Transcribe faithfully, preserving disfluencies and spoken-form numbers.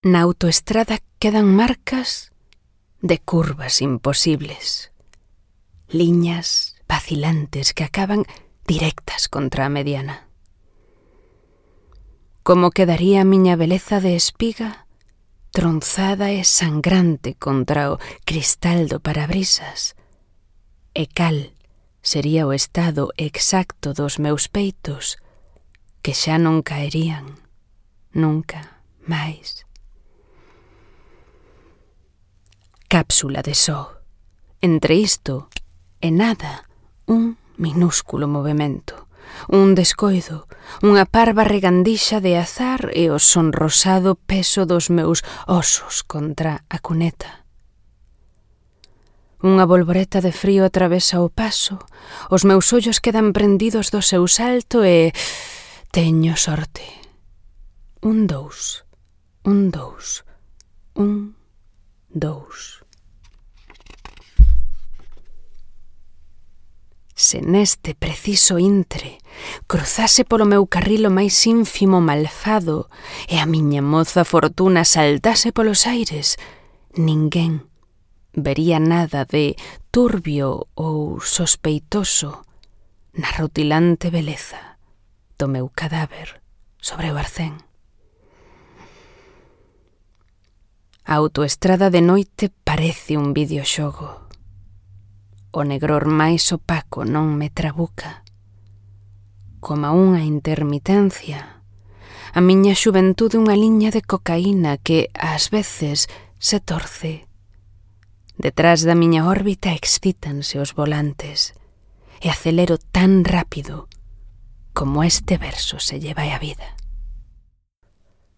Na autoestrada quedan marcas de curvas imposibles, liñas vacilantes que acaban directas contra a mediana. Como quedaría a miña beleza de espiga, tronzada e sangrante contra o cristal do parabrisas, e cal sería o estado exacto dos meus peitos que xa non caerían nunca máis. Cápsula de só. Entre isto e nada, un minúsculo movemento, un descoido, unha parva regandixa de azar e o sonrosado peso dos meus osos contra a cuneta. Unha bolboreta de frío atravesa o paso, os meus ollos quedan prendidos do seu salto e teño sorte. Un dous, un dous, un dous. Se neste preciso intre cruzase polo meu carril o máis ínfimo malfado e a miña moza fortuna saltase polos aires, ninguén vería nada de turbio ou sospeitoso na rutilante beleza do meu cadáver sobre o arcén. A autoestrada de noite parece un videoxogo. O negror máis opaco non me trabuca. Coma unha intermitencia, a miña xuventude unha liña de cocaína que ás veces se torce. Detrás da miña órbita excítanse os volantes e acelero tan rápido como este verso se lle vai a vida.